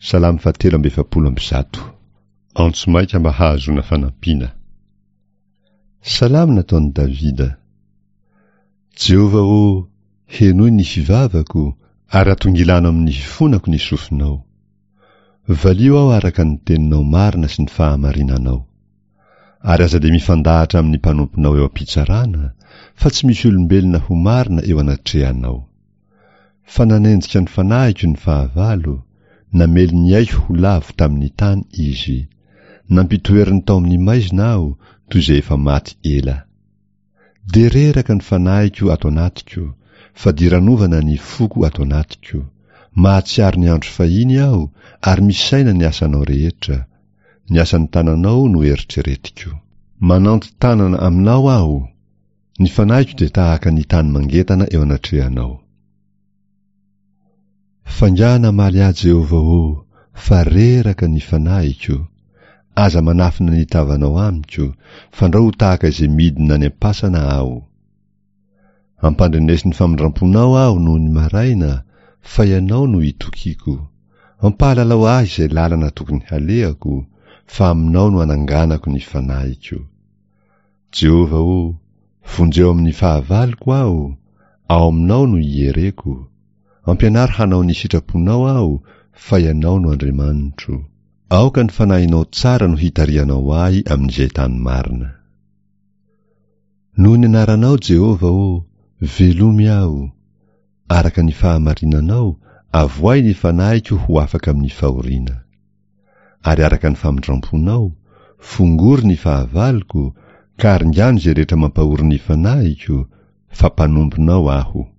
Salamo fahatelo amby 144. Antso maika mba hahazoana fanampiana. Salamo nataon'i Davida. Jehovah ô, henoy ny fivavako, ary atongilano amin'ny fifonako ny sofinao. Valio aho araka ny teninao marina sy ny fahamarinanao. Ary aza dia mifandahatra amin'ny mpanomponao eo am-pitsarana, fa tsy misy olombelona ho marina eo anatrehanao. Fa nanenjika ny fanahiko ny fahavalo, namely ny aiko ho lavo tamin'ny tany izy. Nampitoeriny tao amin'ny maizina aho, toy izay efa maty ela. Dia reraka ny fanahiko ato anatiko, fadiranovana ny foko ato anatiko. Mahatsiaro ny andro fahiny aho, ary misaina ny asanao rehetra. Ny asan'ny tananao no eritreretiko. Mananti-tanana aminao aho, ny fanahiko dia tahaka ny tany mangetana eo anatrehanao. F'angaha namaly ahy Jehovah ô, fa reraka ny fanahiko. Aza manafina ny tavanao amiko, fandrao ho tahaka izay midina any am-pasana aho. Ampandreneso ny famindram-ponao aho noho ny maraina, fa Ianao no itokiako. Ampahalalao ahy izay lalana tokony halehako, fa aminao no ananganako ny fanahiko. Jehovah ô, vonjeo amin'ny fahavaloko aho, ao aminao no iereko. Ampianaro hanao ny sitraponao aho, fa Ianao no Andriamanitro. Aoka ny fanahinao tsara no hitarihanao ahy amin'izay tany marina. Noho ny anaranao, Jehovah ô, velomy aho. Araka ny fahamarinanao, avoahy ny fanahiko ho afaka amin'ny fahoriana. Ary araka ny famindram-ponao, fongory ny fahavaloko, ka aringano izay rehetra mampahory ny fanahiko, fa mpanomponao aho.